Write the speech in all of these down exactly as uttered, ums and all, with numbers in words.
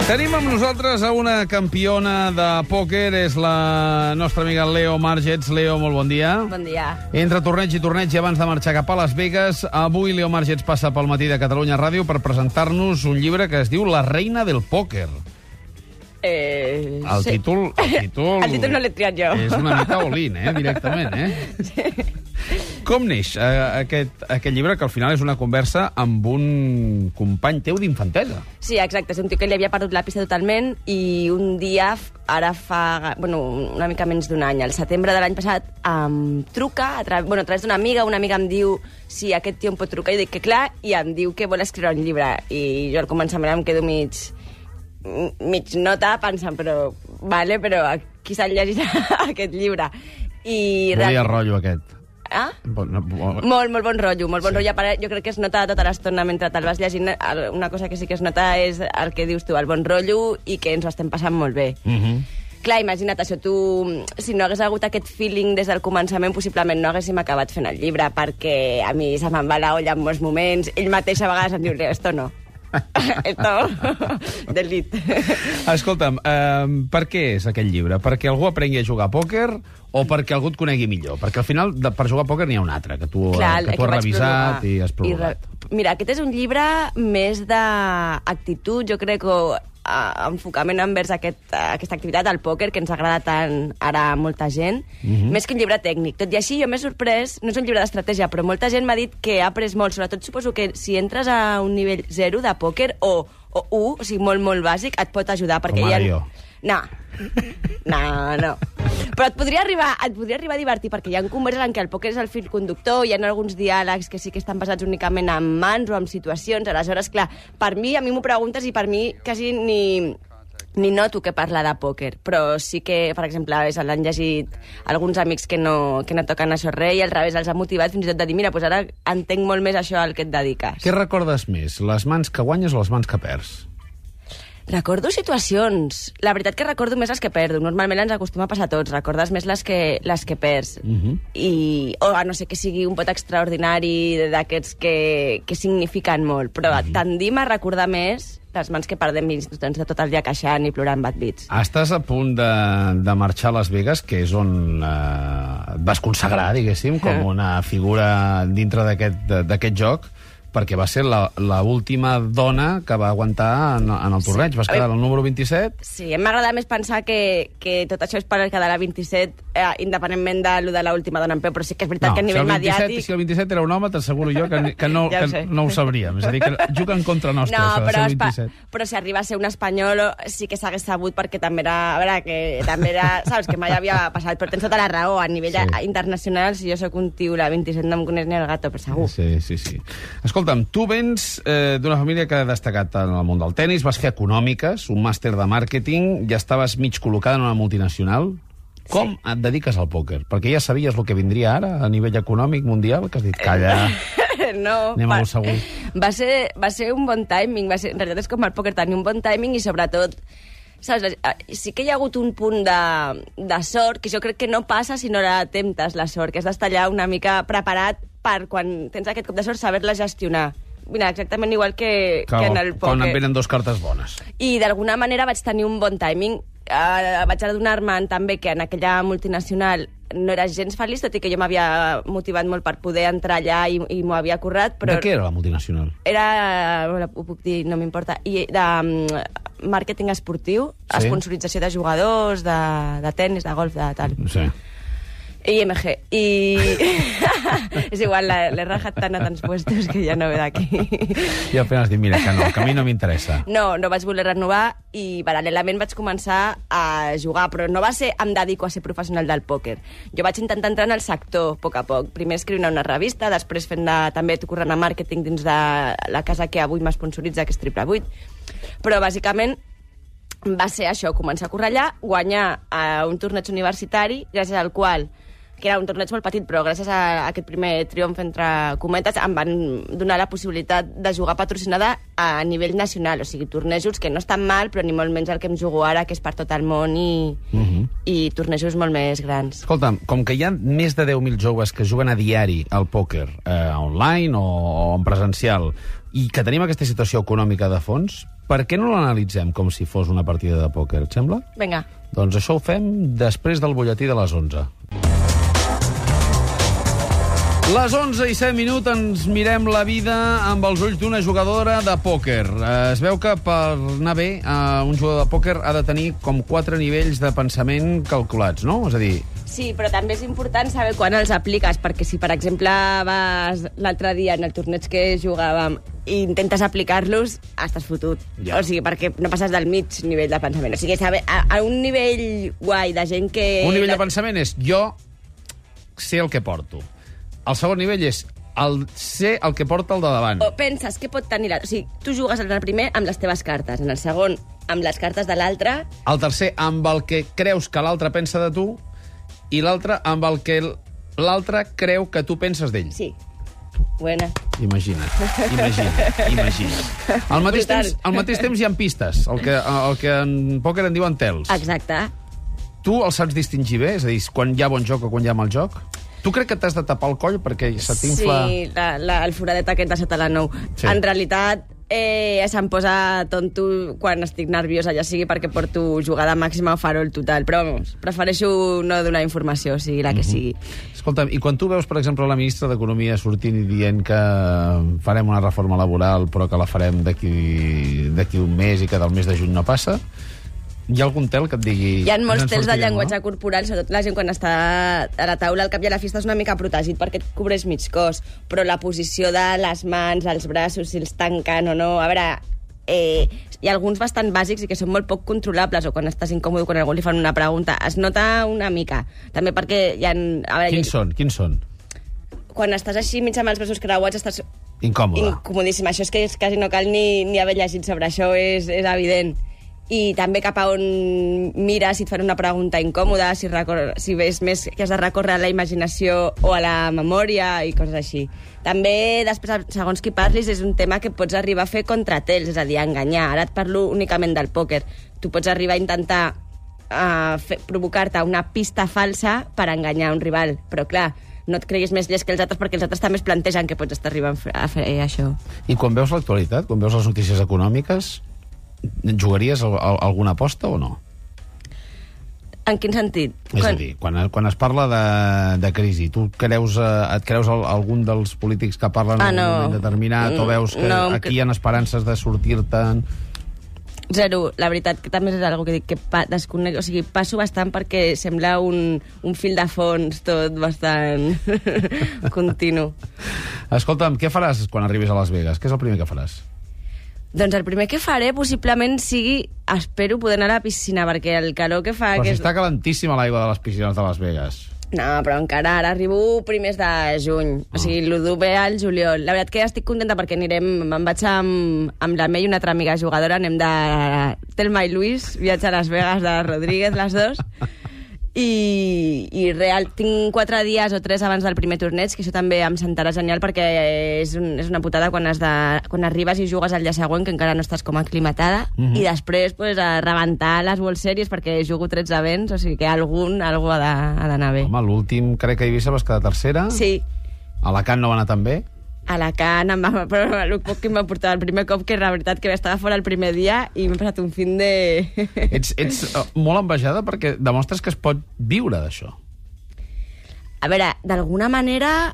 Tenim amb nosaltres a una campiona de pòquer, és la nostra amiga Leo Margets. Leo, molt bon dia. Bon dia. Entre torneig i torneig, i abans de marxar cap a Las Vegas, avui Leo Margets passa pel Matí de Catalunya Ràdio per presentar-nos un llibre que es diu La reina del pòquer. Eh, El sí. títol... El títol, el títol no l'he triat jo. És una mica all-in, eh, directament, eh? Sí. Com neix eh, aquest, aquest llibre, que al final és una conversa amb un company teu d'infantesa? Sí, exacte. És un tio que li havia perdut la pista totalment i un dia, ara fa bueno, una mica menys d'un any, al setembre de l'any passat, em truca a, tra bueno, a través d'una amiga. Una amiga em diu si aquest tio em pot trucar. Jo dic que clar, i em diu que vol escriure un llibre. I jo al començament em quedo mig, mig nota pensant, però vale, però qui se'l llegirà aquest llibre? I Volia rotllo aquest. Ah? Bon, no, bon... Molt, molt bon rotllo, molt bon Sí. rotllo. Jo crec que es nota tota l'estona mentre te'l vas llegint. Una cosa que sí que es nota és el que dius tu, el bon rotllo, i que ens ho estem passant molt bé. Uh -huh. Clar, imagina't això, tu, si no hagués hagut aquest feeling des del començament, possiblement no haguéssim acabat fent el llibre, perquè a mi se me'n va la olla en molts moments. Ell mateix a vegades em diu, esto no. Esto, delete. Escolta'm, eh, per què és aquest llibre? Perquè algú aprengui a jugar a pòquer o perquè algú et conegui millor? Perquè al final, de, per jugar a pòquer n'hi ha un altre, que tu, Clar, que tu que has vaig revisat prologar. i has I prologat. re... Mira, aquest és un llibre més d'actitud, jo crec, o uh, enfocament envers aquest, uh, aquesta activitat, el pòquer, que ens agrada tant ara a molta gent, Mhm. mm-hmm. més que un llibre tècnic. Tot i així, jo m'he sorprès, no és un llibre d'estratègia, però molta gent m'ha dit que ha après molt, sobretot suposo que si entres a un nivell zero de pòquer, o, o u, o sigui, molt, molt bàsic, et pot ajudar, perquè Com hi ara ha... jo. No, no, no. Però et podria arribar, et podria arribar a divertir, perquè hi ha converses en què el pòquer és el fil conductor, hi ha alguns diàlegs que sí que estan basats únicament en mans o en situacions. Aleshores, clar, per mi, a mi m'ho preguntes i per mi quasi ni, ni noto que parla de pòquer. Però sí que, per exemple, l'han llegit alguns amics que no, que no toquen això res, i al revés els ha motivat fins i tot de dir, mira, doncs ara entenc molt més això al que et dediques. Què recordes més, les mans que guanyes o les mans que perds? Recordo situacions. La veritat que recordo més les que perdo. Normalment ens acostuma a passar a tots. Recordes més les que, les que perds. Uh-huh. I, o a no ser que sigui un pot extraordinari d'aquests que, que significan molt. Però uh-huh. tendim a recordar més les mans que perdem i ens de tot el dia queixant i plorant bad beats. Estàs a punt de, de marxar a Las Vegas, que és on eh, et vas consagrar, diguéssim, com una figura dintre d'aquest d'aquest joc, perquè va ser l'última dona que va aguantar en, en el torneig. Vas quedar al número vint-i-set. Sí, em m'agrada més pensar que, que tot això és per quedar a vint-i-set, eh, independentment de lo de l'última dona en peu, però sí que és veritat No, que a nivell si el vint-i-set, mediàtic... si el vint-i-set era un home, t'asseguro jo que, que, no, Ja ho que sé. no ho sabríem. És a dir, que juguen contra nostra, No, això de però, ser el espa- vint-i-set. però si arriba a ser un espanyol sí que s'hagués sabut, perquè també era... A veure, que també era... Saps, que mai havia passat, però tens tota la raó. A nivell Sí. sí. internacional, si jo sóc un tio, la vint-i-set no em coneix ni el gato, però segur. Sí, sí, sí. Escolta'm, tu vens eh, d'una família que ha destacat en el món del tennis, vas fer econòmiques, un màster de màrqueting, ja estaves mig col·locada en una multinacional. Com Sí. et dediques al pòquer? Perquè ja sabies el que vindria ara a nivell econòmic mundial, que has dit, calla, No, anem a va, lo segur. va, ser, va ser un bon timing. Va ser, en realitat és com el pòquer, tenir un bon timing i sobretot... Saps, sí que hi ha hagut un punt de, de sort, que jo crec que no passa si no la temptes, la sort, que has d'estar allà una mica preparat per, quan tens aquest cop de sort, saber-la gestionar. Mira, exactament igual que, que, que en el pòquer. Quan et venen dos cartes bones. I d'alguna manera vaig tenir un bon timing. Uh, vaig adonar-me també que en aquella multinacional no era gens feliç, tot i que jo m'havia motivat molt per poder entrar allà i, i m'ho havia currat, però... De què era la multinacional? Era, bueno, ho puc dir, no m'importa, i de um, màrqueting esportiu, Sí. sponsorització de jugadors, de, de tennis, de golf, de tal. Sí. I M G. I... és igual, la- l'he rajat tant a tants puestos que ja no ve d'aquí. I apenas dic, mira, que no, que a mi no m'interessa. No, no vaig voler renovar i paral·lelament vaig començar a jugar, però no va ser em dedico a ser professional del pòquer. Jo vaig intentar entrar en el sector a poc a poc. Primer escrivint a una revista, després fent de, també corrent a màrqueting dins de la casa que avui m'esponsoritza, que és Triple vuit. Però bàsicament va ser això, començar a currar allà, guanyar a un torneig universitari, gràcies al qual, que era un torneig molt petit, però gràcies a aquest primer triomf entre cometes em van donar la possibilitat de jugar patrocinada a nivell nacional, o sigui, tornejos que no estan mal, però ni molt menys el que em jugo ara, que és per tot el món i, Uh-huh. i tornejos molt més grans. Escolta'm, com que hi ha més de deu mil joves que juguen a diari al pòquer, eh, online o, o en presencial, i que tenim aquesta situació econòmica de fons, Per què no l'analitzem com si fos una partida de pòquer, et sembla? Vinga. Doncs això ho fem després del butlletí de les onze. Les onze i set minuts ens mirem la vida amb els ulls d'una jugadora de pòquer. Es veu que per anar bé, un jugador de pòquer ha de tenir com quatre nivells de pensament calculats, no? És a dir... Sí, però també és important saber quan els apliques, perquè si, per exemple, vas l'altre dia en el torneig que jugàvem i intentes aplicar-los, estàs fotut. Ja. O sigui, perquè no passes del mig nivell de pensament. O sigui, saber, a, a un nivell guai de gent que... Un nivell de pensament és jo sé el que porto. El segon nivell és el ser el que porta el de davant. O penses que pot tenir... La... O sigui, tu jugues en el primer amb les teves cartes, en el segon amb les cartes de l'altre... El tercer amb el que creus que l'altre pensa de tu i l'altre amb el que l'altre creu que tu penses d'ell. Sí. Buena. Imagina't, imagina't, imagina't. Al mateix, temps, al mateix temps hi ha pistes, el que, el que en pòquer en diuen tels. Exacte. Tu els saps distingir bé? És a dir, quan hi ha bon joc o quan hi ha mal joc? Tu crec que t'has de tapar el coll perquè se t'infla... Sí, la, la, el foradet aquest de sota la nou. Sí. En realitat, eh, se'm posa tonto quan estic nerviosa, ja sigui perquè porto jugada màxima o farol total. Però, vamos, prefereixo no donar informació, o sigui la que sigui. Mm-hmm. Escolta'm, i quan tu veus, per exemple, la ministra d'Economia sortint i dient que farem una reforma laboral però que la farem d'aquí d'aquí un mes i que del mes de juny no passa... Hi ha algun tel que et digui... Hi ha molts tels de llenguatge no? corporal, sobretot la gent quan està a la taula, al cap i a la fi estàs una mica protegit perquè et cobreix mig cos, però la posició de les mans, els braços, si els tanquen o no... A veure, eh, hi ha alguns bastant bàsics i que són molt poc controlables, o quan estàs incòmode, quan algú li fan una pregunta, es nota una mica. També perquè hi ha... A veure, Quins hi... són? Quins són? Quan estàs així mig amb els braços creuats estàs... Incòmode. Incomodíssim. Això és que és, quasi no cal ni, ni haver llegit sobre això, és, és evident. I també cap a on mires si et fan una pregunta incòmoda, si, recor... si ves més que has de recórrer a la imaginació o a la memòria i coses així. També, després, segons qui parlis, és un tema que pots arribar a fer contratels, és a dir, a enganyar. Ara et parlo únicament del pòquer. Tu pots arribar a intentar uh, fer, provocar-te una pista falsa per enganyar un rival, però clar, no et creguis més llest que els altres perquè els altres també es plantegen que pots estar arribant a fer això. I quan veus l'actualitat, quan veus les notícies econòmiques, jugaries alguna aposta o no? En quin sentit? És quan... a dir, quan, quan es parla de, de crisi, tu creus, et creus algun dels polítics que parlen ah, en no. un moment determinat o veus que no, aquí hi ha esperances de sortir-te'n? Zero. La veritat que també és algo que dic que pa, desconec, o sigui, passo bastant perquè sembla un, un fil de fons tot bastant continu. Escolta'm, què faràs quan arribis a Las Vegas? Què és el primer que faràs? Doncs el primer que faré possiblement sigui, espero poder anar a la piscina, perquè el calor que fa... Però que si és... està calentíssima l'aigua de les piscines de Las Vegas. No, però encara ara arribo primers de juny. Oh. O sigui, l'u d'u ve al juliol. La veritat que estic contenta perquè anirem... Me'n vaig amb, amb la Mei, una altra amiga jugadora, anem de Telma i Luis, viatge a Las Vegas de Rodríguez, les dos. I, i real, tinc quatre dies o tres abans del primer torneig, que això també em sentarà genial perquè és, un, és una putada quan, has de, quan arribes i jugues al dia següent, que encara no estàs com aclimatada, mm-hmm. i després pues, a rebentar les World Series perquè jugo tretze events, o sigui que algun algú ha d'anar bé. Home, l'últim crec que a Eivissa vas quedar tercera. Sí. A Alacant no va anar tan bé. Alacant, em va, però el poc que em va portar el primer cop, que la veritat que estava fora el primer dia i m'he passat un fin de... Ets, ets uh, molt envejada perquè demostres que es pot viure d'això. A veure, d'alguna manera...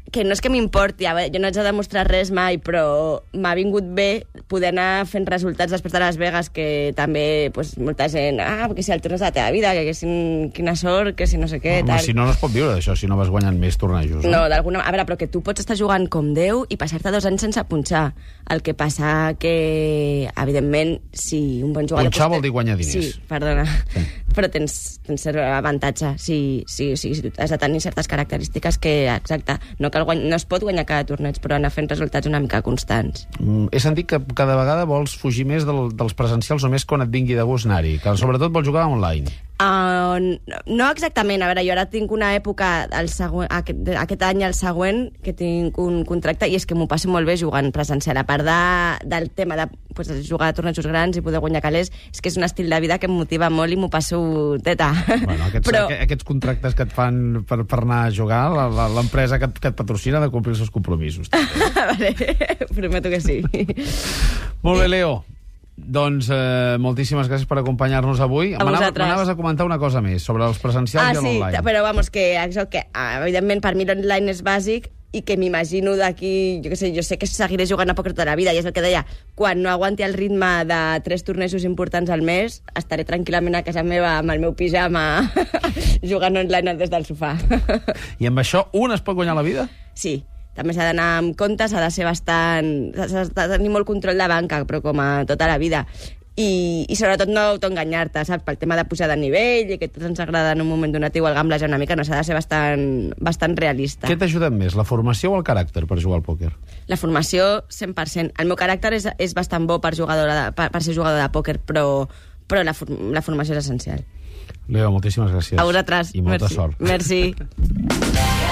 que no és que m'importi, jo no haig de demostrar res mai, però m'ha vingut bé poder anar fent resultats després de Las Vegas, que també pues, molta gent, ah, perquè si el torneig de la teva vida, que, que si, quina sort, que si no sé què, Home, tal. Si no, no es pot viure d'això, si no vas guanyant més tornejos. No, no d'alguna... A veure, però que tu pots estar jugant com Déu i passar-te dos anys sense punxar. El que passa que, evidentment, si un bon jugador... Punxar vol dir guanyar diners. Sí, perdona. Sí. Però tens, tens cert avantatge. Sí, sí, sí, sí, has de tenir certes característiques que, exacte, no cal guany... no es pot guanyar cada torneig, però anar fent resultats una mica constants. Mm, he sentit que cada vegada vols fugir més del, dels presencials o més quan et vingui de gust anar-hi, que sobretot vols jugar online. Uh, no exactament. A veure, jo ara tinc una època, el següent, aquest, aquest any el següent, que tinc un contracte, i és que m'ho passo molt bé jugant presencial. A part de, del tema de pues, jugar a tornejos grans i poder guanyar calés, és que és un estil de vida que em motiva molt i m'ho passo teta. Bueno, aquests, Però... aquests contractes que et fan per, per anar a jugar, l'empresa que, que et patrocina ha de complir els seus compromisos. Vale, prometo que sí. Molt bé, Leo. Doncs eh, moltíssimes gràcies per acompanyar-nos avui. A vosaltres. M'anaves a comentar una cosa més sobre els presencials ah, i l'online. Ah, sí, però vamos, que, això, que evidentment per mi l'online és bàsic i que m'imagino d'aquí, jo què sé, jo sé que seguiré jugant a pòquer tota la vida, i és el que deia, quan no aguanti el ritme de tres tornejos importants al mes, estaré tranquil·lament a casa meva amb el meu pijama jugant online des del sofà. I amb això un es pot guanyar la vida? Sí. També s'ha d'anar amb compte, s'ha de ser bastant... s'ha de tenir molt control de banca, però com a tota la vida. I, i sobretot no autoenganyar-te, saps? Pel tema de pujar de nivell i que tots ens agrada en un moment donat igual gamblejar una mica, no, s'ha de ser bastant, bastant realista. Què t'ajuda més, la formació o el caràcter per jugar al pòquer? La formació, cent per cent. El meu caràcter és, és bastant bo per, jugadora de, per, per ser jugador de pòquer, però, però la, la formació és essencial. Leo, moltíssimes gràcies. A vosaltres. I molta Merci. sort. Merci.